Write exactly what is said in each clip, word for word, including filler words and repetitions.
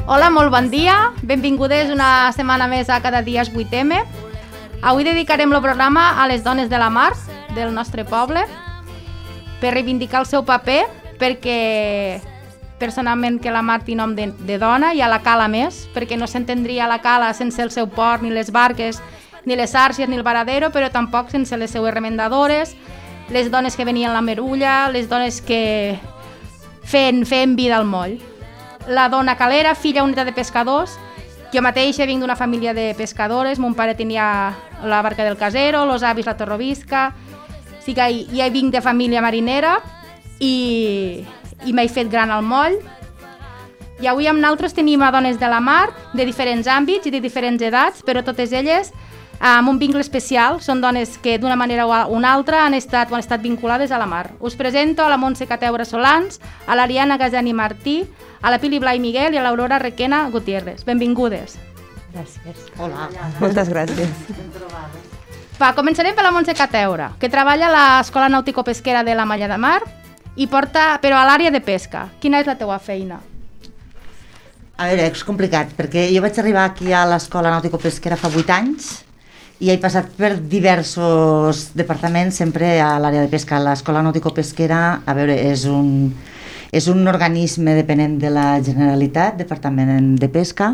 Hola, molt bon dia. Benvingudes una setmana més a Cada dia és vuit eme. Avui dedicarem el programa a les dones de la mar del nostre poble per reivindicar el seu paper, perquè personalment que la mar té nom de, de dona i a la cala més, perquè no s'entendria la cala sense el seu port, ni les barques, ni les xarxes, ni el varadero, però tampoc sense les seues remendadores, les dones que venien la merulla, les dones que feien, feien vida al moll. La dona calera, filla única de pescadors. Jo mateixa vinc d'una família de pescadores, mon pare tenia la barca del Casero, los avis la Torrovisca, sí que ja vinc de família marinera i, i m'he fet gran al moll. I avui amb nosaltres tenim a dones de la mar, de diferents àmbits i de diferents edats, però totes elles amb un vincle especial. Són dones que d'una manera o una altra han estat o han estat vinculades a la mar. Us presento a la Montse Cateura Solans, a l'Ariana Gazani Martí, a la Pili Blai Miguel i a l'Aurora Requena Gutiérrez. Benvingudes. Gràcies. Hola. Moltes gràcies. Va, començarem per la Montse Cateura, que treballa a l'Escola Nàutico-Pesquera de la Malla de Mar, i porta, però a l'àrea de pesca. Quina és la teua feina? A veure, és complicat, perquè jo vaig arribar aquí a l'Escola Nàutico-Pesquera fa vuit anys i he passat per diversos departaments, sempre a l'àrea de pesca. L'Escola Nàutico-Pesquera, a veure, és un, és un organisme dependent de la Generalitat, Departament de Pesca,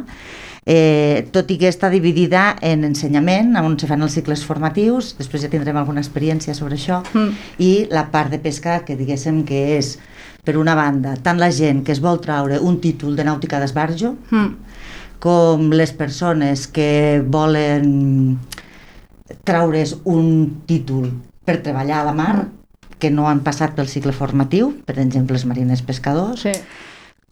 eh, tot i que està dividida en ensenyament, on se fan els cicles formatius, després ja tindrem alguna experiència sobre això, mm. i la part de pesca, que diguéssim que és, per una banda, tant la gent que es vol traure un títol de nàutica d'esbarjo, mm. com les persones que volen traure's un títol per treballar a la mar, que no han passat pel cicle formatiu, per exemple els mariners pescadors, sí.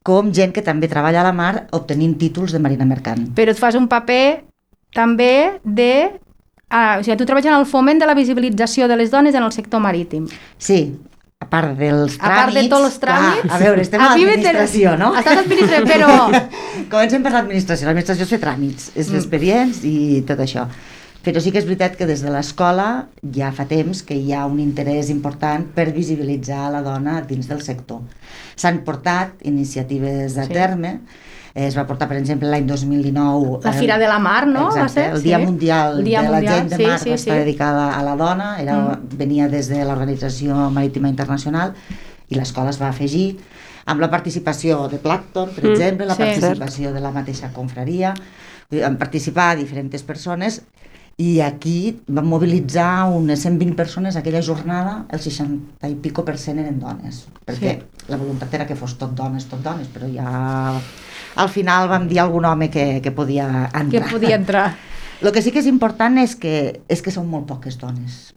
com gent que també treballa a la mar obtenint títols de marina mercant. Però et fas un paper també de... Ah, o sigui, tu treballes en el foment de la visibilització de les dones en el sector marítim. Sí, a part dels tràmits... A part de tots els tràmits... Clar, a veure, estem a, a l'administració, no? Estàs administració, però... Comencem per l'administració. L'administració és fer tràmits, és mm. expedients i tot això. Però sí que és veritat que des de l'escola ja fa temps que hi ha un interès important per visibilitzar la dona dins del sector. S'han portat iniciatives a sí. terme, es va portar, per exemple, l'any dos mil dinou... La Fira de la Mar, no? Exacte, va ser? el Dia sí. Mundial el Dia de mundial, la Gent de sí, Mar sí, va estar sí. dedicada a la dona, era, mm. venia des de l'Organització Marítima Internacional i l'escola es va afegir amb la participació de Plàncton, per mm. exemple, la sí, participació cert. de la mateixa confraria, van participar diferents persones. I aquí van mobilitzar unes cent vint persones aquella jornada, el seixanta i pico per cent eren dones, perquè sí. la voluntat era que fos tot dones, tot dones, però ja al final vam dir a algun home que, que podia entrar. Que podia entrar. El que sí que és important és que, és que són molt poques dones,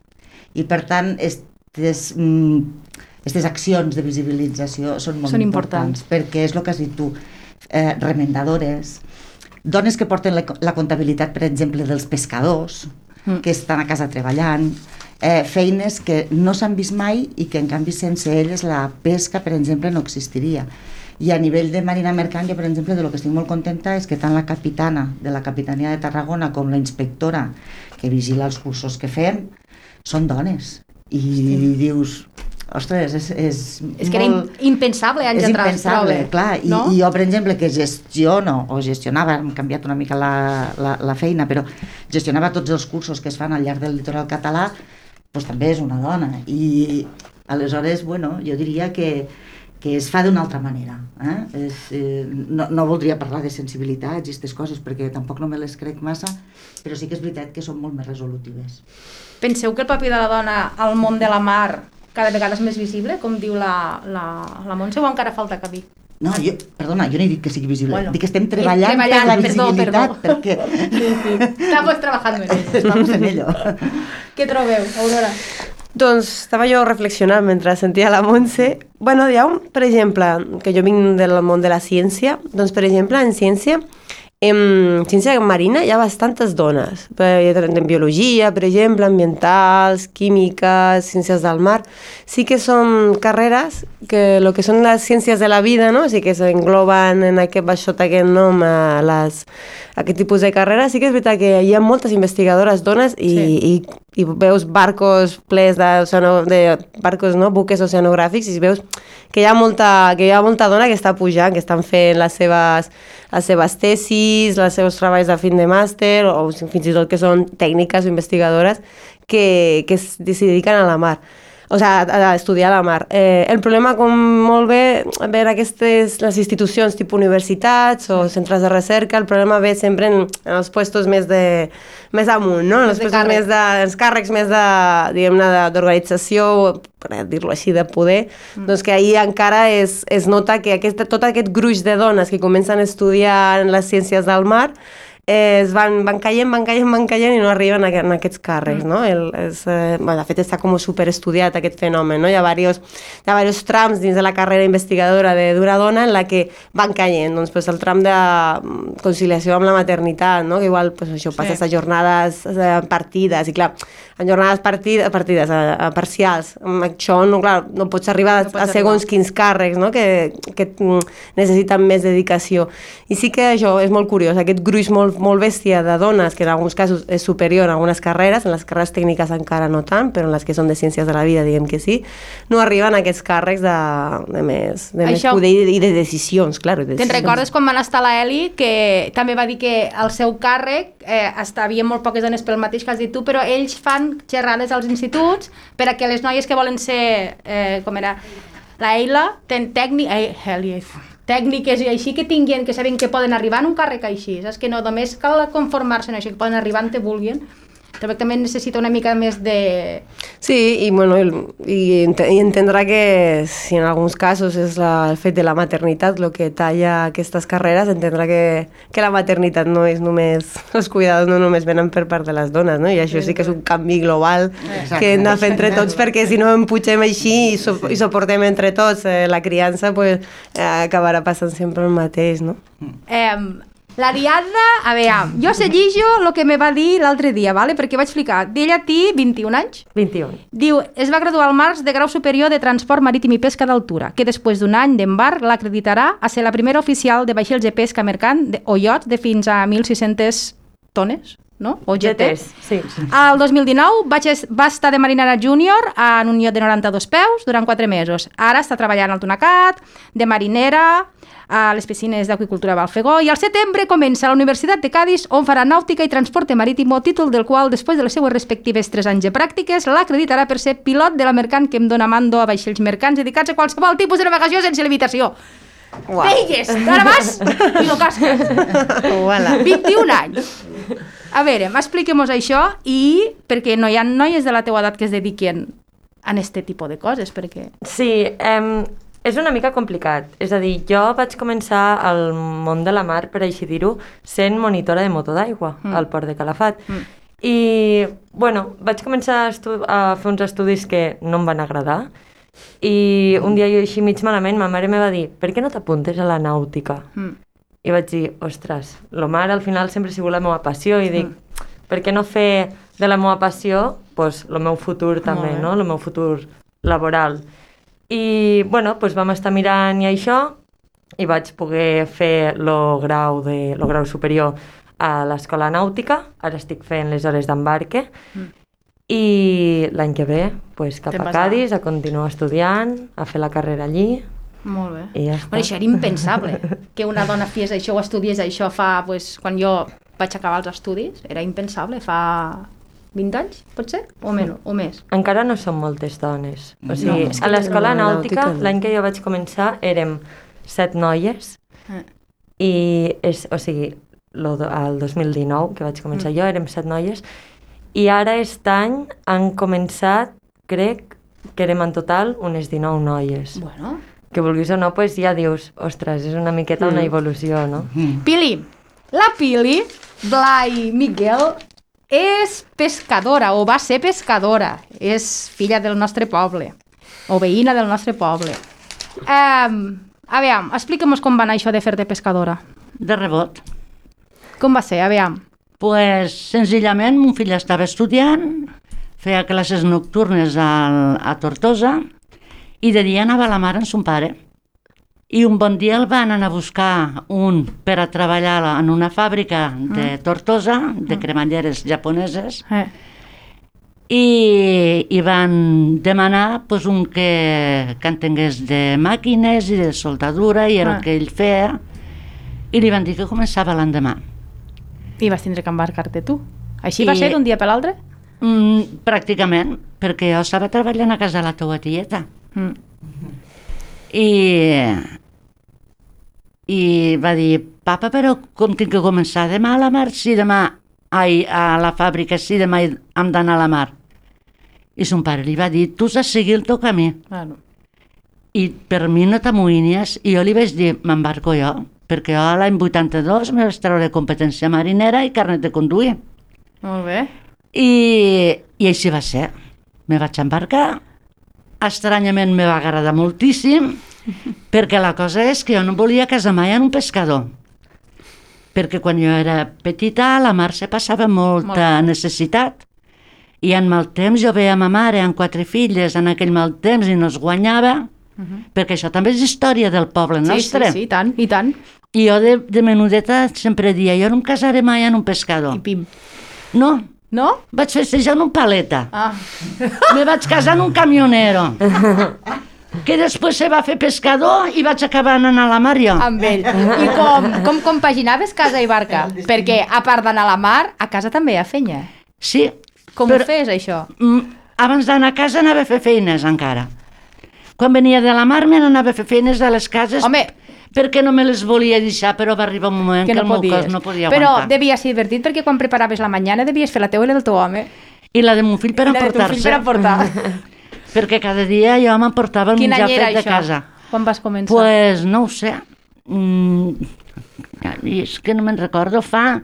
i per tant estes, estes accions de visibilització són molt són importants, importants, perquè és el que has dit tu, eh, remendadores, dones que porten la, la comptabilitat, per exemple, dels pescadors, mm. que estan a casa treballant, eh, feines que no s'han vist mai i que, en canvi, sense elles la pesca, per exemple, no existiria. I a nivell de marina mercant, jo, per exemple, de lo que estic molt contenta és que tant la capitana de la Capitania de Tarragona com la inspectora que vigila els cursos que fem són dones. I sí. dius... Ostres, és, és, és que molt... era impensable anys és atrás, impensable, prove, clar, i, no? i jo, per exemple, que gestiono o gestionava, hem canviat una mica la, la, la feina, però gestionava tots els cursos que es fan al llarg del litoral català, doncs també és una dona, i aleshores, bueno, jo diria que, que es fa d'una altra manera, eh? És, eh, no, no voldria parlar de sensibilitats i aquestes coses, perquè tampoc no me les crec massa, però sí que és veritat que són molt més resolutives. Penseu que el paper de la dona al món de la mar cada vegada és més visible, com diu la, la, la Montse, o encara falta que dir? No, jo, perdona, jo no he dit que sigui visible, bueno, dic que estem treballant, treballant per la perdó, visibilitat, perdó. perquè... Sí, sí. Estamos trabajando en ello. Estamos en ello. Què trobeu, Aurora? Doncs estava jo reflexionant mentre sentia la Montse. Bueno, hi ha un, per exemple, que jo vinc del món de la ciència, doncs per exemple, en ciència, en ciència marina hi ha bastantes dones, en biologia, per exemple, ambientals, químiques, ciències del mar. Sí que són carreres que el que són les ciències de la vida, no? Sí que s'engloben en aquest, sota aquest nom a les, aquest tipus de carreres. Sí que és veritat que hi ha moltes investigadores dones i, sí. i, i veus barcos plens de, de barcos, no? Buques oceanogràfics, i veus que hi ha molta, que hi ha molta dona que està pujant, que estan fent les seves les seves tesis, els seus treballs de fin de màster, o fins i tot que són tècniques o investigadores que, que es, s'hi dediquen a la mar. O sigui, a estudiar a la mar. Eh, el problema, com molt bé, veure aquestes, les institucions tipus universitats o centres de recerca, el problema ve sempre en, en els puestos més de més amunt, no? En els, puestos més de, els càrrecs més de, diguem-ne, d'organització, per dir-ho així, de poder, mm. doncs que ahir encara es, es nota que aquesta, tot aquest gruix de dones que comencen a estudiar en les ciències del mar Eh, es van, van caient, van caient, van caient i no arriben a, a aquests càrrecs, no? El, és, eh, bueno, de fet, està com superestudiat aquest fenomen, no? Hi ha diversos, hi ha diversos trams dins de la carrera investigadora d'una dona en la que van caient, doncs, pues, el tram de conciliació amb la maternitat, no? Que igual, pues, això, passes sí. a jornades a partides, i clar, en jornades partides, partides a, a parcials, amb això, no, clar, no pots arribar no pots a segons arribar. Quins càrrecs, no? Que, que necessiten més dedicació. I sí que això és molt curiós, aquest gruix molt molt bèstia de dones, que en alguns casos és superior en algunes carreres, en les carreres tècniques encara no tant, però en les que són de ciències de la vida, diguem que sí, no arriben a aquests càrrecs de, de més, de més poder i de decisions, clar. De Te'n recordes quan van estar a l'Eli, que també va dir que el seu càrrec eh, havia molt poques dones pel mateix que has dit tu, però ells fan xerrades als instituts per a que les noies que volen ser, eh, com era, la Eila, ten tècnic... Eh, Eli, tècniques i així que tinguin, que saben que poden arribar en un càrrec així, saps? Que no només cal conformar-se en això, que poden arribar on te vulguin, però també necessita una mica més de... Sí, i, bueno, i, i entendrà que si en alguns casos és la, el fet de la maternitat el que talla aquestes carreres, entendrà que, que la maternitat no és només... Els cuidadors no només venen per part de les dones, no? I això sí que és un canvi global exacte, que hem de fer entre tots, perquè si no emputxem així i, so, i soportem entre tots eh, la criança, pues, eh, acabarà passant sempre el mateix, no? Eh... L'Ariadna, a veure, jo seguixo el que me va dir l'altre dia, vale? Perquè vaig explicar, d'ella té vint-i-un anys. vint-i-un. Diu, es va graduar al març de grau superior de transport marítim i pesca d'altura, que després d'un any d'embarc l'acreditarà a ser la primera oficial de vaixells de pesca mercant de, o iots de fins a mil sis-centes tones, no? O G T. Sí. El dos mil dinou vaig, va estar de marinera júnior en un iot de noranta-dos peus durant quatre mesos. Ara està treballant al Tunacat, de marinera, a les piscines d'Aqüicultura Balfegó, i al setembre comença a la Universitat de Cadis, on farà nàutica i transporte marítim, títol del qual, després de les seues respectives tres anys de pràctiques, l'acreditarà per ser pilot de la mercant que em dona mando a vaixells mercants dedicats a qualsevol tipus de navegació sense limitació. Wow. Veigues, ara vas i no casques. Voilà. vint-i-un anys. A veure, expliquem-nos això, i perquè no hi ha noies de la teua edat que es dediquen a aquest tipus de coses, perquè... Sí, eh, és una mica complicat. És a dir, jo vaig començar al món de la mar, per així dir-ho, sent monitora de motor d'aigua mm. al port de Calafat. Mm. I, bueno, vaig començar a, estu- a fer uns estudis que no em van agradar. I un dia jo així mig malament, ma mare me va dir, per què no t'apuntes a la nàutica? Mm. I vaig dir, ostres, lo mar al final sempre ha sigut la meva passió, i dic, mm. per què no fer de la meva passió pues, el meu futur també, no? El meu futur laboral. I, bueno, doncs vam estar mirant i això, i vaig poder fer el grau, de, lo grau superior a l'Escola Nàutica, ara estic fent les hores d'embarque, mm. i l'any que ve, pues, cap a Cadis, a continuar estudiant, a fer la carrera allí. Molt bé. I ja està. Bueno, això era impensable, que una dona fes això o estudiés això fa, pues, quan jo vaig acabar els estudis, era impensable, fa... vint anys, pot ser? O menys, o més? Encara no són moltes dones. O sigui, no, a l'escola nàutica, l'any que jo vaig començar, érem set noies, eh. i, és, o sigui, lo, el dos mil dinou, que vaig començar mm. jo, érem set noies, i ara aquest any han començat, crec, que érem en total unes dinou noies. Bueno. Que vulguis o no, pues ja dius, ostres, és una miqueta mm. una evolució, no? Mm. Pili, la Pili, Blai Miguel, és pescadora, o va ser pescadora. És filla del nostre poble, o veïna del nostre poble. Um, a veure, explica'm com va anar això de fer-te pescadora. De rebot. Com va ser, a veure? Pues, senzillament, mon fill estava estudiant, feia classes nocturnes al, a Tortosa, i de dia anava a la mar amb son pare. I un bon dia el van anar a buscar un per a treballar en una fàbrica de Tortosa, de cremalleres japoneses, eh. i, i van demanar pues, un que, que entengués de màquines i de soldadura, i era eh. el que ell feia. i li van dir que començava l'endemà. I vas tindre que embarcar-te tu. Així I- va ser d'un dia per l'altre? Mm, pràcticament, perquè jo estava treballant a casa de la teua tieta. Mm. I, i va dir, papa, però com tinc que començar demà a la mar? Si demà, ai, a la fàbrica, si demà hem d'anar a la mar. I son pare li va dir, tu has de seguir el teu camí. Claro. I per mi no t'amoïnies. I jo li vaig dir, m'embarco jo, perquè jo l'any vuitanta-dos me vaig treure competència marinera i carnet de conduir. Molt bé. I, i així va ser. Me vaig embarcar. Estranyament me va agradar moltíssim, perquè la cosa és que jo no volia casar mai en un pescador. Perquè quan jo era petita a la mar se passava molta Molt. necessitat. I en mal temps jo veia ma mare amb quatre filles en aquell mal temps i no es guanyava, perquè això també és història del poble Sí, sí, nostre. sí, i tant, i tant. I jo de, de menudeta sempre dia, jo no em casaré mai en un pescador. I pim. No, No? vaig festejar en un paleta. Ah. Me vaig casar en un camionero, que després se va fer pescador i vaig acabar anant a la mar jo. Amb ell. I com, com compaginaves casa i barca? Perquè, a part d'anar a la mar, a casa també hi ha feina. Sí, Com però, ho fes, això? mm, abans d'anar a casa anava a fer feines encara. Quan venia de la mar me n'anava a fer feines a les cases, Home, perquè no me les volia deixar, però va arribar un moment que que, no el meu podies. cos no podia Però aguantar. devia ser divertit perquè quan preparaves la mañana devies fer la teua i la del teu home. I la de mon fill per I la de teu fill emportar-se. per emportar. Perquè cada dia jo m'emportava el Quin menjar any era fet de això? casa. Quan vas començar? Pues no ho sé. Mm, i és que no me'n recordo, fa...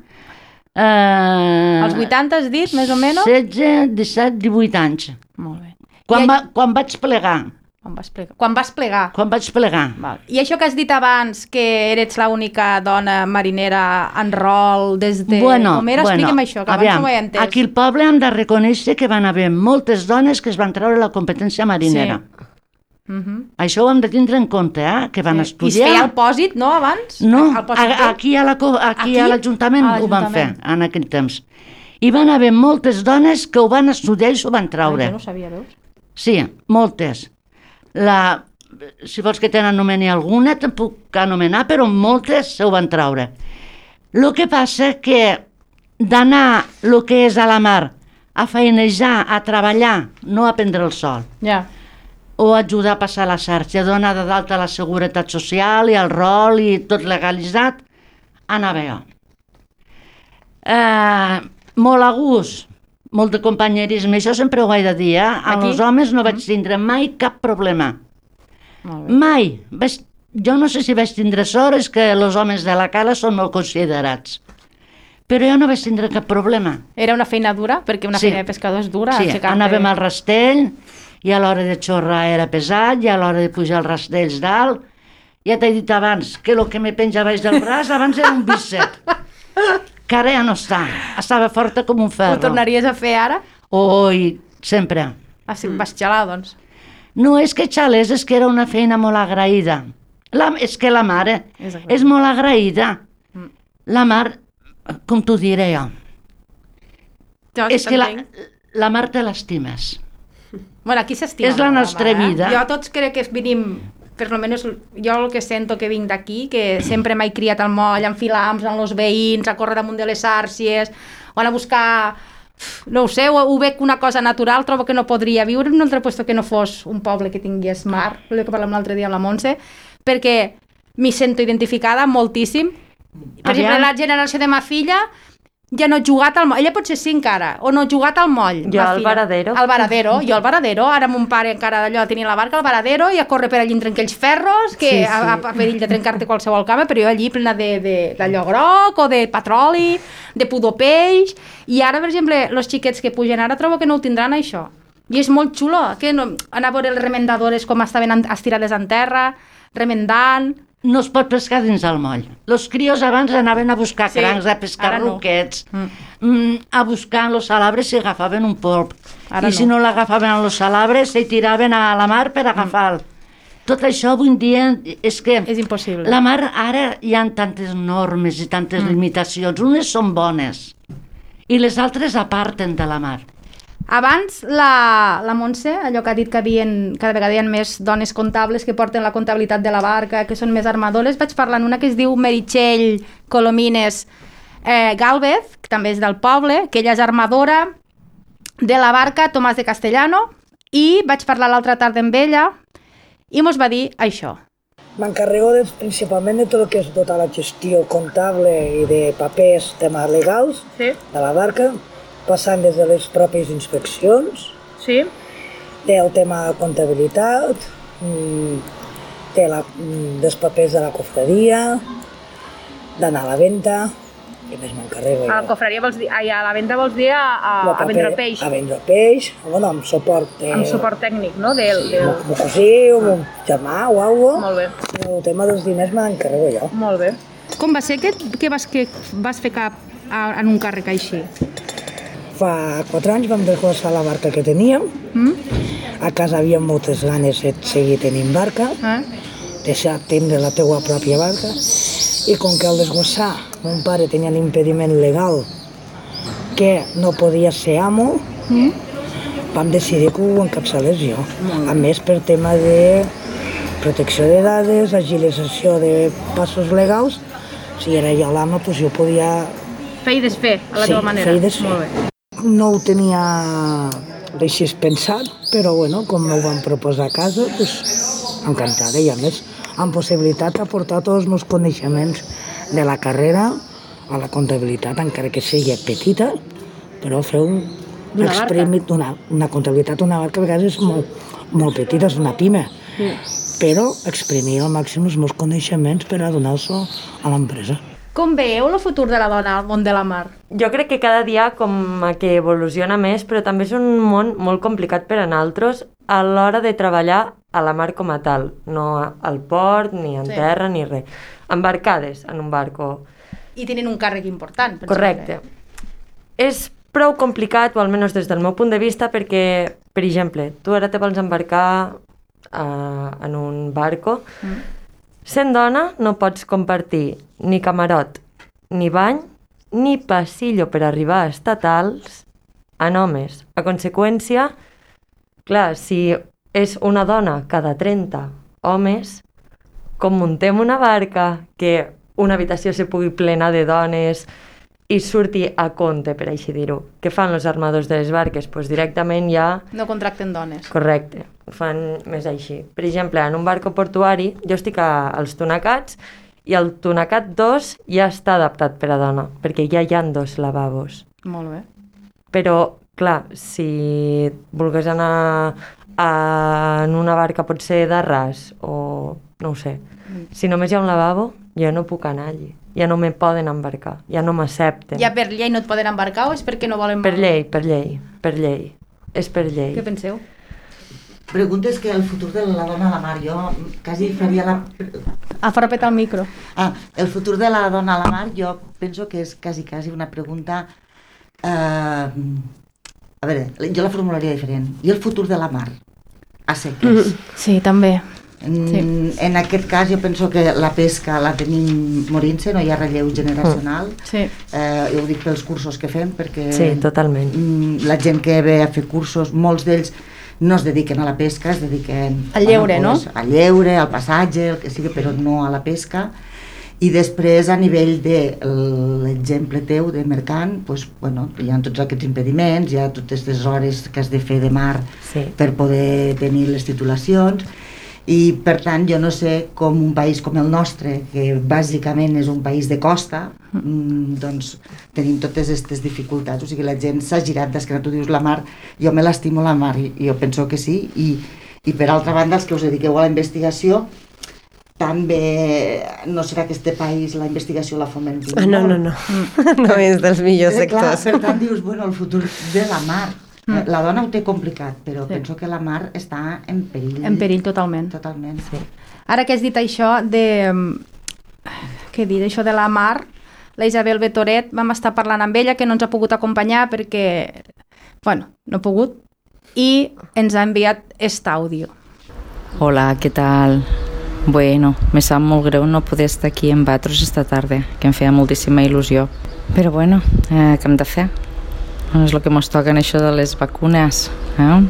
Eh, Als vuitanta has dit, més o menys? setze, disset, divuit anys. Molt bé. Quan, I va, quan vaig plegar. Quan vas plegar? Quan vas plegar. Quan vaig plegar. Val. I això que has dit abans, que eres l'única dona marinera en rol des de... Bueno, Com era? bueno, Explica'm això, que aviam, abans no ho he entès. aquí al poble hem de reconèixer que van haver moltes dones que es van treure la competència marinera. Sí. Uh-huh. Això ho hem de tindre en compte, eh? Que van I estudiar... es feia el pòsit, no, abans? No, El pòsit a, aquí a la co- aquí Aquí? a l'Ajuntament A ho van fer l'Ajuntament. en aquell temps. I van haver moltes dones que ho van estudiar i s'ho van Ai, traure. jo no sabia, veus? Sí, moltes. La, si vols que te n'anomeni alguna, te'n puc anomenar, però moltes s'ho van traure. El que passa que d'anar el que és a la mar a feinejar, a treballar, no a prendre el sol, Ja. o ajudar a passar la xarxa, donar de dalt a la Seguretat Social i al rol i tot legalitzat, anava jo. Eh, molt a gust, molt de companyerisme, això sempre ho he de dir, eh? Amb Aquí? els homes no vaig tindre mai cap problema. Molt bé. Mai. Vaig, jo no sé si vaig tindre sort, és que els homes de la cala són molt considerats. Però jo no vaig tindre cap problema. Era una feina dura? Perquè una Sí. feina de pescador és dura. Sí, aixecar-te- anàvem al rastell, i a l'hora de xorrar era pesat, i a l'hora de pujar els rastells dalt. Ja t'he dit abans que el que me penja baix del braç abans era un bíceps, que ara ja no està, estava forta com un ferro. Ho tornaries a fer ara? Oi, sempre. Ah, sí, vas xalar, doncs. No és que xalés, és que era una feina molt agraïda. La, és que la mare És és, agraïda. molt agraïda. Mm. La mar, com t'ho diré jo, Jo és que la, t'entenc. la mar te l'estimes. Bueno, aquí s'estima. És la molt, nostra home, eh? vida. Jo tots crec que venim, per lo menos jo el que sento que vinc d'aquí, que sempre m'he criat al moll, a enfilar amb els veïns, a córrer damunt de les xàrcies, o anar a buscar... No ho sé, ho, ho veig una cosa natural, trobo que no podria viure en un altre lloc que no fos un poble que tingués mar, el que parlàvem l'altre dia amb la Montse, perquè m'hi sento identificada moltíssim. Per Aviam. exemple, la generació de ma filla ja no ha jugat al moll, ella potser sí encara, o no ha jugat al moll. Jo ma al filla. Varadero. Al Varadero, jo al Varadero, ara mon pare encara d'allò tenia la barca al Varadero i a córrer per allí entre aquells ferros, que Sí, sí. a, a, a perill de trencar-te qualsevol cama, però jo allí plena de, de, d'allò groc o de petroli, de pudor peix, i ara, per exemple, els xiquets que pugen ara trobo que no ho tindran això. I és molt xulo, que no, anar a veure les remendadores com estaven en- estirades en terra, remendant... No es pot pescar dins el moll. Els crios abans anaven a buscar Sí, crancs, a pescar ara no. ruquets, Mm. mm, a buscar en los salabres si agafaven un polp. Ara I si no. no l'agafaven en los salabres, se tiraven a la mar per agafar-lo. Tot això avui en dia és que És impossible. la mar ara hi ha tantes normes i tantes limitacions. Unes són bones i les altres aparten de la mar. Abans, la, la Montse, allò que ha dit que havien, cada vegada hi ha més dones comptables que porten la comptabilitat de la barca, que són més armadores, vaig parlar amb una que es diu Meritxell Colomines eh, Gálvez, que també és del poble, que ella és armadora de la barca Tomàs de Castellano, i vaig parlar l'altra tarda amb ella i mos va dir això. M'encarrego de, principalment de tot el que és tota la gestió comptable i de papers, temes legals Sí. de la barca, passant des de les pròpies inspeccions, Sí? del tema de comptabilitat, de la, dels papers de la cofradia, d'anar a la venda, què més m'encarrego jo? A la cofraria vols dir, ai, a la venda vols dir a, a, El a paper- vendre el peix, A vendre el peix, bueno, amb suport de... amb suport tècnic, no? Del, del... Amb un cosí, amb un germà o alguna Molt bé. El tema dels diners me l'encarrego jo. Molt bé. Com va ser que, que, vas, que vas fer cap a, en un càrrec així? Fa quatre anys vam desglossar la barca que teníem. Mm? A casa havia moltes ganes de seguir tenint barca, Eh? deixar tindre la teua pròpia barca, i com que al desglossar mon pare tenia l'impediment legal que no podia ser amo, Mm? vam decidir que ho encapçalés jo. A més, per tema de protecció de dades, agilització de passos legals, si era jo l'amo, doncs jo podia... Fer i desfer, a la Sí, teva manera. fer i desfer. Molt bé. No ho tenia així pensat, però bueno, com m'ho van proposar a casa, doncs encantada, i a més amb possibilitat d'aportar tots els meus coneixements de la carrera a la comptabilitat, encara que sigui petita, però fer un D'una exprimit d'una una comptabilitat d'una barca a vegades és molt, molt petita, és una pime, però exprimir al màxim els meus coneixements per a donar-ho a l'empresa. Com veieu el futur de la dona al món de la mar? Jo crec que cada dia com que evoluciona més, però també és un món molt complicat per a nosaltres a l'hora de treballar a la mar com a tal, no al port, ni en Sí. terra, ni res. Embarcades en un barco. I tenen un càrrec important. per Correcte. exemple. És prou complicat, o almenys des del meu punt de vista, perquè, per exemple, tu ara te vols embarcar uh, en un barco. Mm. Sent dona no pots compartir ni camarot, ni bany, ni passillo per arribar a estatals en homes. A conseqüència, clar, si és una dona cada trenta homes, com muntem una barca que una habitació se pugui plena de dones i surti a compte, per així dir-ho. Què fan els armadors de les barques? Pues directament ja... No contracten dones. Correcte, ho fan més així. Per exemple, en un barco portuari, jo estic a, als Tunacats i el Tunacat dos ja està adaptat per a dona, perquè ja hi ha dos lavabos. Molt bé. Però, clar, si volgués anar a, en una barca potser de ras o no ho sé, si només hi ha un lavabo, jo no puc anar allí. Ja no me poden embarcar, ja no m'accepten. Ja per llei no et poden embarcar o és perquè no volen... Per llei, per llei, per llei. És per llei. Què penseu? Preguntes que el futur de la dona a la mar, jo quasi faria la... Afarrapa't al micro. Ah, el futur de la dona a la mar jo penso que és quasi, quasi una pregunta... Eh, a veure, jo la formularia diferent. I el futur de la mar? A seques. Sí, també. Sí. En aquest cas jo penso que la pesca la tenim morint-se, no hi ha relleu generacional. Sí. Eh, jo ho dic pels cursos que fem, perquè Sí, totalment. mm, la gent que ve a fer cursos, molts d'ells no es dediquen a la pesca, es dediquen Al lleure, bueno, pues, al lleure, al passatge, el que sigui, però no a la pesca. I després, a nivell de l'exemple teu de mercant, pues, bueno, hi ha tots aquests impediments, hi ha totes les hores que has de fer de mar Sí. per poder tenir les titulacions, i per tant jo no sé com un país com el nostre, que bàsicament és un país de costa, mm, doncs tenim totes aquestes dificultats, o sigui, la gent s'ha girat d'esquena. Tu dius la mar, jo me l'estimo la mar, i jo penso que sí, i, i per altra banda els que us dediqueu a la investigació, també no serà que este país la investigació la fomenti Ah, no, no, no. No és dels millors Eh, clar, sectors. per tant dius, bueno, el futur de la mar. Mm. La dona ho té complicat, però Sí. sí. penso que la mar està en perill. En perill totalment. Totalment. Sí. Ara que has dit això de... Què he dit? Això de la mar, la Isabel Betoret, vam estar parlant amb ella, que no ens ha pogut acompanyar perquè, bueno, no ha pogut, i ens ha enviat aquest àudio. Hola, ¿qué tal? Bueno, me sap molt greu no poder estar aquí amb vosaltres esta tarda, que em feia moltíssima il·lusió. Però bueno, eh, què hem de fer? és el que ens toca en això de les vacunes. Eh?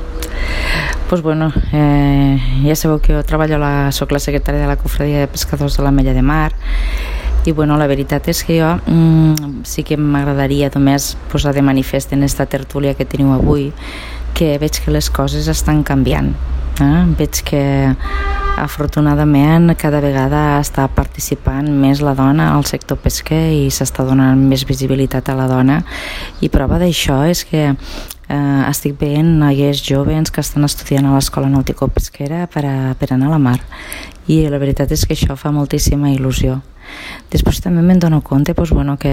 Pues bueno, eh, ja sabeu que jo treballo, a la, soc la secretària de la Cofradia de Pescadors de l'Ametlla de Mar, i bueno, la veritat és que jo mm, sí que m'agradaria només posar de manifest en esta tertúlia que teniu avui que veig que les coses estan canviant. Eh? Veig que afortunadament cada vegada està participant més la dona al sector pesquer i s'està donant més visibilitat a la dona, i prova d'això és que eh, estic veient noies joves que estan estudiant a l'escola nàutico-pesquera per, a, per anar a la mar, i la veritat és que això fa moltíssima il·lusió. Després també me'n dono compte pues, bueno, que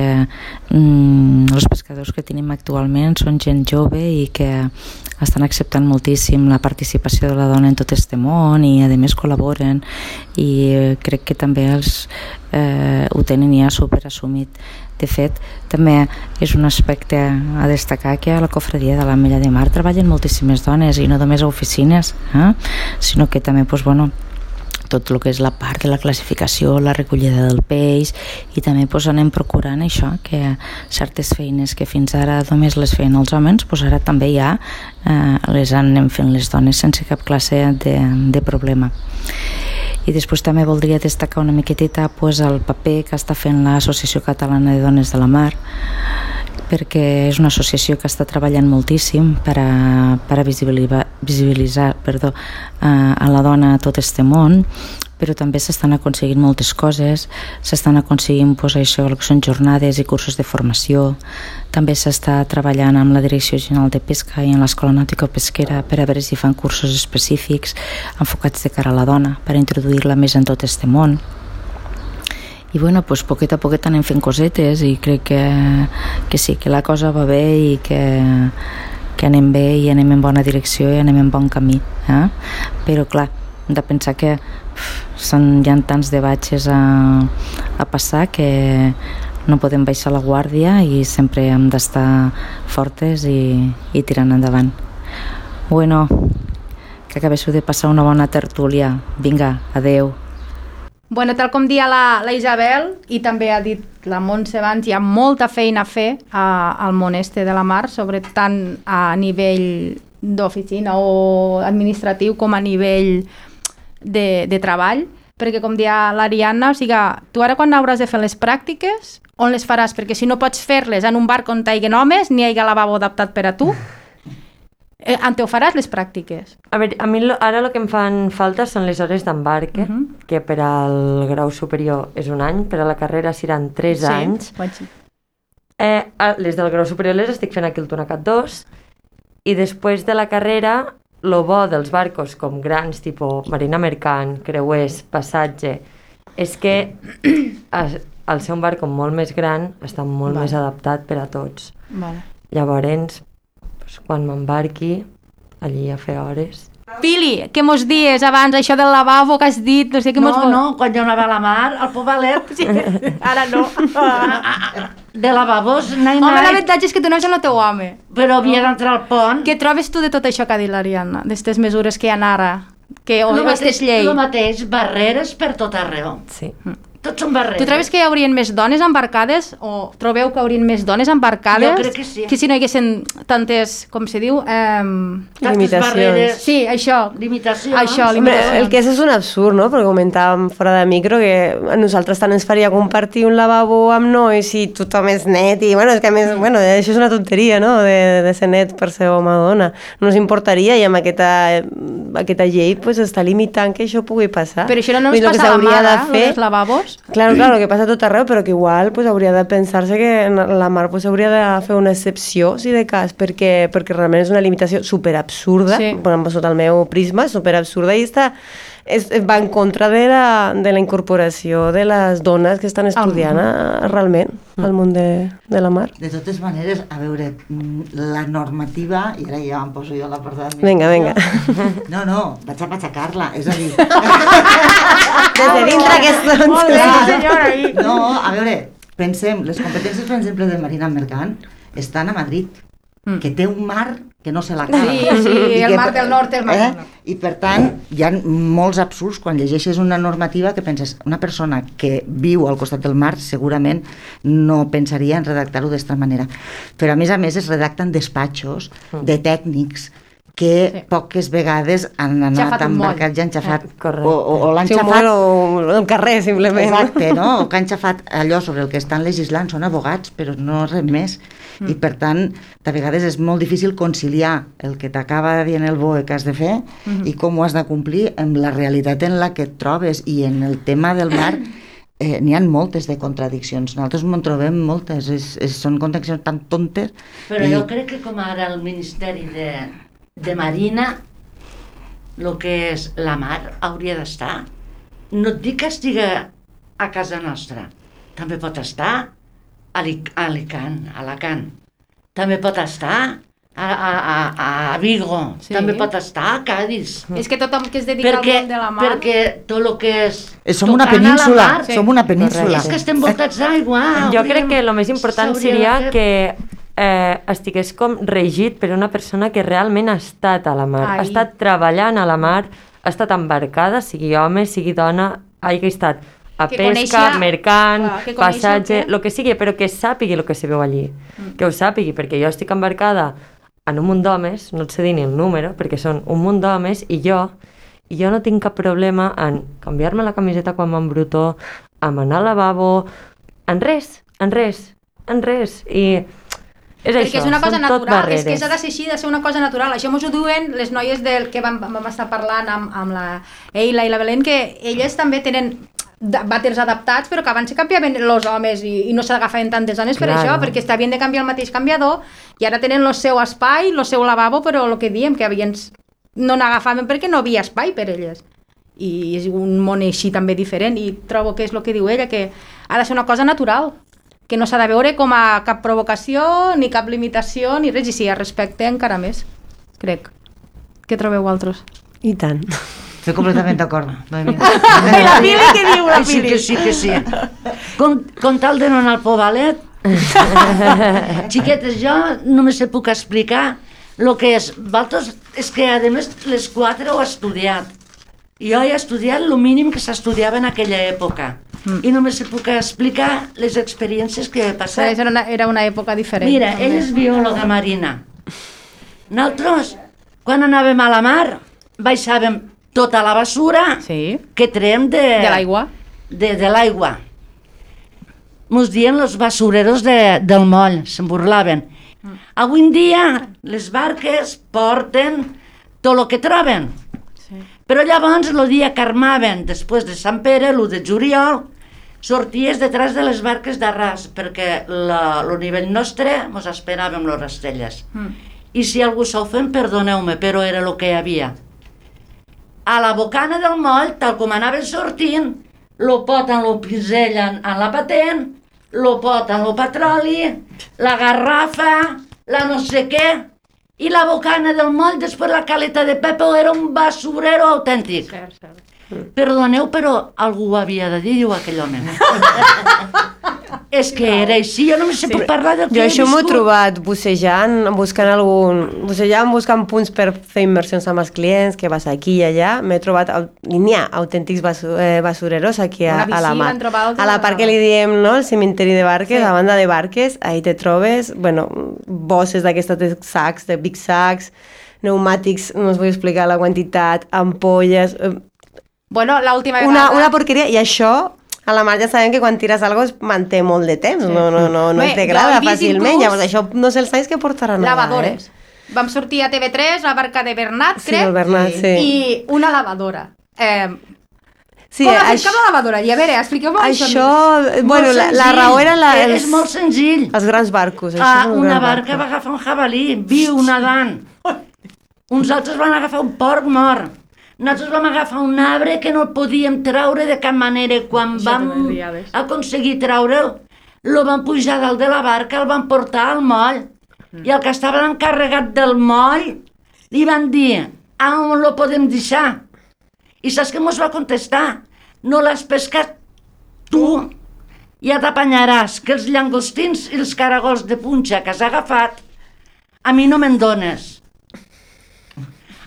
mm, els pescadors que tenim actualment són gent jove i que estan acceptant moltíssim la participació de la dona en tot este món, i a més col·laboren, i crec que també els, eh, ho tenen ja superassumit. De fet, també és un aspecte a destacar que a la Cofradia de l'Ametlla de Mar treballen moltíssimes dones, i no només a oficines, eh? sinó que també pues, bueno, tot el que és la part de la classificació, la recollida del peix, i també pues, anem procurant això, que certes feines que fins ara només les feien els homes, pues, ara també ja eh, les anem fent les dones sense cap classe de, de problema. I després també voldria destacar una miquetita pues, el paper que està fent l'Associació Catalana de Dones de la Mar, perquè és una associació que està treballant moltíssim per a, per a visibilitzar, visibilitzar perdó, a, a la dona a tot este món, però també s'estan aconseguint moltes coses, s'estan aconseguint pues, això, que són jornades i cursos de formació, també s'està treballant amb la Direcció General de Pesca i en l'Escola Nàutico-Pesquera per a veure si fan cursos específics enfocats de cara a la dona, per a introduir-la més en tot este món. I bueno, pues, poquet a poquet anem fent cosetes, i crec que, que sí, que la cosa va bé i que, que anem bé i anem en bona direcció i anem en bon camí. Eh? Però clar, hem de pensar que uf, són, hi ha tants debatges a, a passar que no podem baixar la guàrdia i sempre hem d'estar fortes i, i tirant endavant. Bueno, que acabéssiu de passar una bona tertúlia. Vinga, adeu. Bueno, tal com dia la, la Isabel, i també ha dit la Montse abans, hi ha molta feina a fer a, al món este de la mar, sobretot tant a nivell d'oficina o administratiu com a nivell de, de treball, perquè com dia l'Ariadna, o sigui, tu ara quan hauràs de fer les pràctiques, on les faràs? Perquè si no pots fer-les en un bar on hi hagi homes, ni hi hagi lavabo adaptat per a tu, Eh, on te ho faràs les pràctiques? A veure, a mi lo, ara el que em fan falta són les hores d'embarque, uh -huh. que per al grau superior és un any, per a la carrera seran tres sí, anys. Sí. Eh, les del grau superior les estic fent aquí al Tunacat dos, i després de la carrera, lo bo dels barcos com grans, tipus marina mercant, creuers, passatge, és que al ser un barco molt més gran està molt vale. Més adaptat per a tots. Vale. Llavors, quan m'embarqui, allí a fer hores. Pili, què mos dies abans, això del lavabo que has dit? No, sé què no, mos... no, quan jo anava a la mar, al Povalet... Sí, ara no. De lavabos, nai, nai. Home, l'avantatge és que tu anaves amb el teu home. Però havia d'entrar al pont. Què trobes tu de tot això que ha dit l'Ariadna? D'estes mesures que hi ha ara? Que, o aquestes lleis? El mateix, barreres per tot arreu. Sí. Tots són barreres. Tu trobes que hi haurien més dones embarcades o trobeu que haurien més dones embarcades? Jo crec que sí. Que si no hi haguessin tantes, com se diu? Eh... Limitacions. Sí, això. Limitacions. Això, limitacions. Hombre, el que és és un absurd, no? Perquè comentàvem fora de micro que a nosaltres tant ens faria compartir un lavabo amb nois i tothom és net i, bueno, és que a més, bueno, això és una tonteria, no? De, de ser net per ser home o dona. No ens importaria i amb aquesta, aquesta llei pues, està limitant que això pugui passar. Però això no ens passa a la mar, eh? Els lavabos? Claro, claro, que passa a tot arreu, però que igual pues, hauria de pensar-se que en la mar pues, hauria de fer una excepció, si de cas, perquè, perquè realment és una limitació superabsurda, sí. Bueno, sota el meu prisma, superabsurda, i està, és, va en contra de la, de la incorporació de les dones que estan estudiant a, realment al món de, de la mar. De totes maneres, a veure, la normativa, i ara ja em poso jo a la part de... Vinga, vinga. No, no, vaig a patxacar-la, és a dir... Des de dintre que són... Molt bé, senyora. No, a veure, pensem, les competències, per exemple, de Marina Mercant estan a Madrid, mm. que té un mar que no se l'acaba. Sí, sí, el mar del nord, el mar del nord. I per tant, hi ha molts absurds quan llegeixes una normativa que penses, una persona que viu al costat del mar segurament no pensaria en redactar-ho d'esta manera. Però a més a més es redacten despatxos de tècnics que sí. poques vegades han anat embarcats i han xafat, eh, o, o, o l'han sí, xafat o el carrer simplement. Exacte, no? O que han xafat allò sobre el que estan legislant, són abogats, però no res més. Mm. I per tant, de vegades és molt difícil conciliar el que t'acaba dient el B O E que has de fer mm-hmm. i com ho has de complir amb la realitat en la que et trobes. I en el tema del mar eh, n'hi ha moltes de contradiccions. Nosaltres en trobem moltes, és, és, són contradiccions tan tontes. Però i... jo crec que com ara el Ministeri de, de Marina, el que és la mar hauria d'estar. No et dic que estigui a casa nostra, també pot estar a Alicant, a Alacant. També pot estar a, a, a, a Vigo, sí. també pot estar a Cádiz. És que tothom que es dedica perquè, al món de la mar... Perquè tot el que és... Som una península, mar, som una península. És que estem voltats d'aigua. Jo crec que el més important seria que eh, estigués com regit per una persona que realment ha estat a la mar, Ai. ha estat treballant a la mar, ha estat embarcada, sigui home, sigui dona, hagi estat a que pesca, coneixia, mercant, clar, passatge, el que sigui, però que sàpigui el que se veu allí, mm. que ho sàpigui, perquè jo estic embarcada en un munt d'homes, no et sé dir ni el número, perquè són un munt d'homes, i jo, i jo no tinc cap problema en canviar-me la camiseta quan m'embrutó, en anar al lavabo, en res, en res, en res, i és perquè això, és una cosa natural, és que barreres. s'ha de ser així, de ser una cosa natural. Això mos ho diuen les noies del que vam, vam estar parlant amb, amb la Eila i la Belén, que elles també tenen vàters adaptats, però que abans se canviaven els homes i, i no s'agafaven tantes dones per claro. això, perquè havien de canviar el mateix canviador i ara tenen el seu espai, el seu lavabo, però el que diem, que havien, no n'agafaven perquè no havia espai per elles. I és un món així també diferent i trobo que és el que diu ella, que ha de ser una cosa natural, que no s'ha de veure com a cap provocació, ni cap limitació, ni res, i si hi ha respecte encara més, crec. Què trobeu vosaltres? I tant. Estic completament d'acord. I la Pili, què diu la Sí Pili? que sí, que sí. Com, com tal de no anar al pobalet, xiquetes, jo només se puc explicar el que és. Vosaltres, és que a més les quatre ho he estudiat. Jo he estudiat el mínim que s'estudiava en aquella època. Mm. I només se puc explicar les experiències que he passat. Era una, era una època diferent. Mira, també. ell és biòloga marina. Nosaltres, quan anàvem a la mar, baixàvem tota la basura sí. que traiem de, de l'aigua. De, de l'aigua. Mos dien els basureros de, del moll, se'n burlaven. Mm. Avui en dia les barques porten tot el que troben. Sí. Però llavors el dia que armaven, després de Sant Pere, l'u de juliol, sorties detrás de les barques d'arràs, perquè el nivell nostre mos esperàvem les rastelles. Mm. I si algú s'ofèn, perdoneu-me, però era el que hi havia. A la bocana del moll, tal com anaven sortint, lo pot en lo pisell en, en la patent, lo pot en lo petroli, la garrafa, la no sé què, i la bocana del moll, després la caleta de Pepo, era un basurero autèntic. Cert, cert. Perdoneu, però algú ho havia de dir, diu aquell home. És que era així, jo només sé sí. puc parlar del que jo he això m'ho he viscut. trobat bussejant, buscant algun... bussejant, buscant punts per fer immersions amb els clients, que vas aquí i allà, m'he trobat, n'hi ha autèntics basu, eh, basureros aquí a, a la mar. A la part que li diem, no?, el cimenteri de barques, sí. a banda de barques, ahí te trobes, bueno, bosses d'aquestes de sacs, de big sacs, pneumàtics, no us vull explicar la quantitat, ampolles... Eh, bueno, l'última vegada... Una, una porqueria, i això... A la mar ja sabem que quan tires alguna cosa es manté molt de temps, sí. no, no, no, no es degrada fàcilment, llavors això no sé els anys que portaran lavadores. Allà, eh? Vam sortir a T V tres, la barca de Bernat, sí, crec, el Bernat, sí. i una lavadora. Eh, sí, com has això... fet la lavadora? I a veure, expliqueu-me això. Això, bueno, la, la raó era la, els, és molt senzill. Els grans barcos. Això Ah, una gran barca barco. va agafar un jabalí, viu, nadant. Uns altres van agafar un porc mort. Nosaltres vam agafar un arbre que no el podíem traure de cap manera. Quan Això vam també aconseguir treure'l, el vam pujar dalt de la barca, el vam portar al moll. Mm. I el que estava encarregat del moll li van dir, a on lo podem deixar? I saps què mos va contestar? No l'has pescat tu, ja t'apanyaràs, que els llangostins i els caragols de punxa que has agafat, a mi no me'n dones.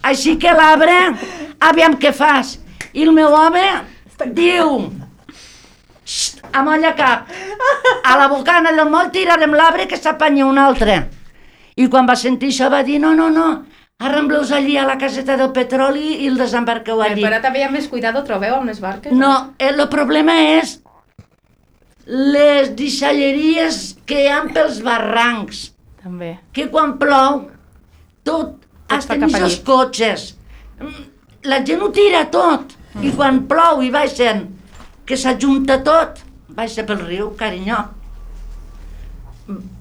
Així que l'arbre, aviam què fas. I el meu home diu, amolla cap, a la bocana del moll tirarem l'arbre que s'apanya un altre. I quan va sentir això va dir, no, no, no, arrambleus allí a la caseta del petroli i el desembarqueu allí. Però també hi ha més cuidado, trobeu, amb les barques? No, el problema és les deixalleries que hi ha pels barrancs. També. Que quan plou, tot, hasta ni els cotxes, la gent ho tira tot. I quan plou i baixen, que s'ajunta tot, baixa pel riu, carinyo.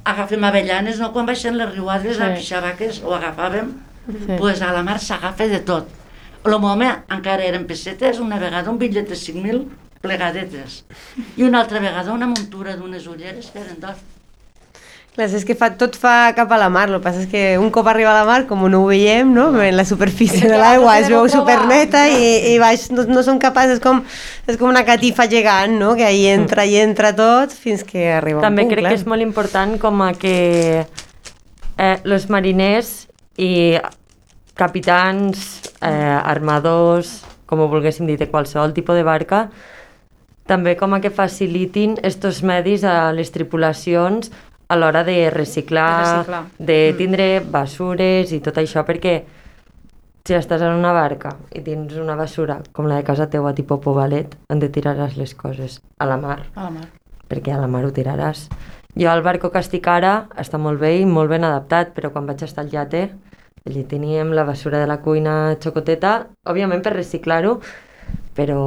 Agafem avellanes, no? Quan baixen les riuades, a pixabaques, ho agafàvem, doncs a la mar s'agafa de tot. El home encara eren pessetes, una vegada un bitllet de cinc mil plegadetes, i una altra vegada una muntura d'unes ulleres que eren d'or. Clar, és que fa, tot fa cap a la mar, el que passa és que un cop arriba a la mar, com no ho veiem, no? En la superfície de l'aigua es veu superneta i, i baix no, no som capaços, és com, és com una catifa gegant, no? Que ahí entra i entra tot fins que arriba També un punt, crec clar. que és molt important com a que eh, els mariners i capitans, eh, armadors, com ho volguéssim dir, de qualsevol tipus de barca, també com a que facilitin estos medis a les tripulacions a l'hora de reciclar, De reciclar. de tindre basures i tot això, perquè si estàs en una barca i tens una basura com la de casa teua, tipus povalet, on te tiraràs les coses? A la mar. A la mar. Perquè a la mar ho tiraràs. Jo al barco que estic ara està molt bé i molt ben adaptat, però quan vaig estar al iate, allí teníem la basura de la cuina xocoteta, òbviament per reciclar-ho, però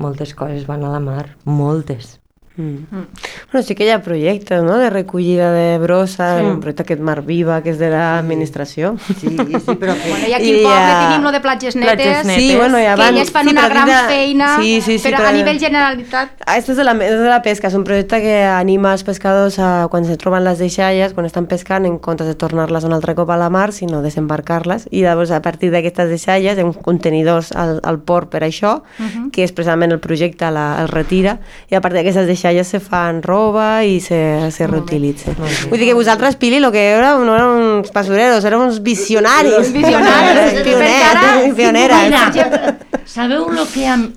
moltes coses van a la mar, moltes. Mm. Mm. Bueno, sí que hi ha projectes, no?, de recollida de brossa, sí. Un projecte aquest Mar Viva, que és de l'administració. Sí, sí, però... Bueno, i aquí al poble ha... tenim lo de platges netes, platges netes. Sí, bueno, ja van... que elles fan sí, una gran de... feina, sí, sí, sí, però, però a nivell generalitat... Ah, esto és de, la, és de la pesca, és un projecte que anima els pescadors a, quan se troben les deixalles, quan estan pescant, en comptes de tornar-les un altre cop a la mar, sinó desembarcar-les, i llavors a partir d'aquestes deixalles hi ha uns contenidors al, al port per això, uh -huh. que és precisament el projecte la, el retira, i a partir d'aquestes deixalles se fan roba i se, se reutilitza. Vull dir que vosaltres, Pili, lo que era, no eren uns basureros, eren uns visionaris. Visionaris. Pioneres. Pioneres. Mira, sabeu el que... Am...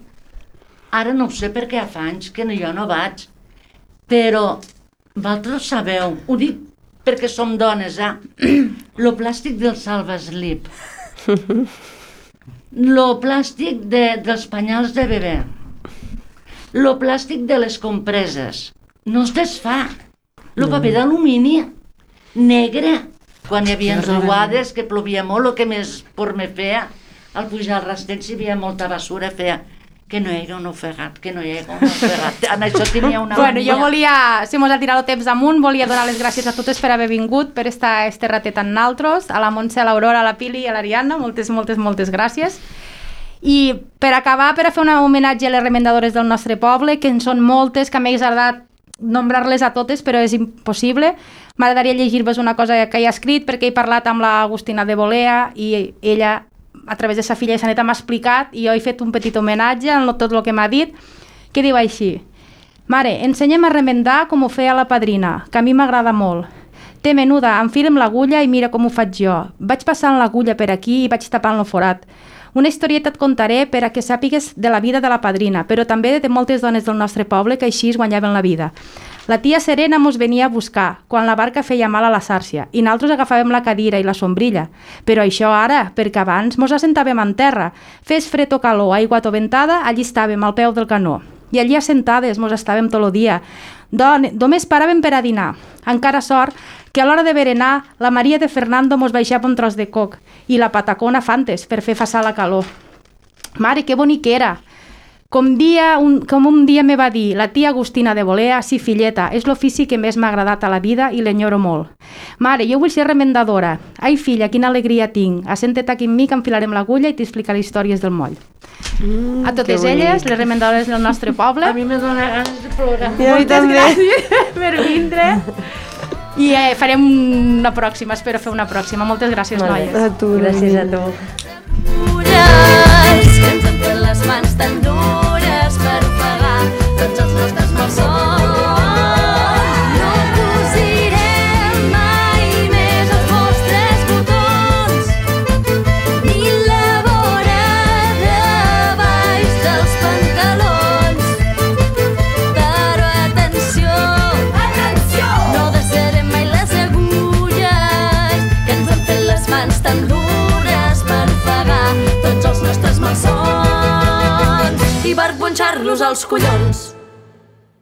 Ara no ho sé perquè fa anys que jo no vaig, però vosaltres sabeu, ho dic perquè som dones, eh? Lo plàstic del salvaslip, lo plàstic de, dels penyals de bebè, lo plàstic de les compreses, no es desfà. El paper d'alumini, negre, quan hi havia riuades, que plovia molt, el que més por me feia, al pujar al rastell, si hi havia molta basura, feia que no hi hagi un ofegat, que no hi hagi un ofegat. En això tenia una... Bueno, jo volia, si mos ha tirat el temps amunt, volia donar les gràcies a totes per haver vingut, per estar este ratet amb naltros, a la Montse, a l'Aurora, a la Pili i a l'Ariadna, moltes, moltes, moltes gràcies. I per acabar, per a fer un homenatge a les remendadores del nostre poble, que en són moltes, que m'hagués agradat nombrar-les a totes, però és impossible. M'agradaria llegir-vos una cosa que he escrit, perquè he parlat amb l'Agustina de Bolea i ella, a través de sa filla Saneta, m'ha explicat i jo he fet un petit homenatge en tot el que m'ha dit, que diu així: Mare, ensenya'm a remendar com ho feia la padrina, que a mi m'agrada molt. Té menuda, enfila'm l'agulla i mira com ho faig jo. Vaig passant l'agulla per aquí i vaig tapant el forat. Una historieta et contaré per a que sàpigues de la vida de la padrina, però també de moltes dones del nostre poble que així es guanyaven la vida. La tia Serena mos venia a buscar quan la barca feia mal a la sàrcia i nosaltres agafàvem la cadira i la sombrilla. Però això ara, perquè abans mos assentàvem en terra. Fes fred o calor, aigua o ventada, allí estàvem al peu del canó. I allí assentades mos estàvem tot el dia. Don, només paràvem per a dinar. Encara sort que a l'hora de berenar la Maria de Fernando mos baixava un tros de coc i la patacona fantes per fer passar la calor. Mare, que bonic era! Com, dia, un, com un dia me va dir la tia Agustina de Bolea, sí, filleta, és l'ofici que més m'ha agradat a la vida i l'enyoro molt. Mare, jo vull ser remendadora. Ai, filla, quina alegria tinc. Assenta't aquí amb mi que enfilarem l'agulla i t'explicaré històries del moll. Mm, a totes elles, les remendadores del nostre poble. A mi me dóna ganes de plorar. I a mi també. Gràcies per vindre. I eh, farem una pròxima, espero fer una pròxima. Moltes gràcies, noies. A tu, Gràcies a tu. Dures, que ens han fet les mans tan dures per pagar tots els nostres malsons. No cosirem mai més els vostres botons, ni tan dures per pagar tots els nostres malsons i per punxar-los als collons.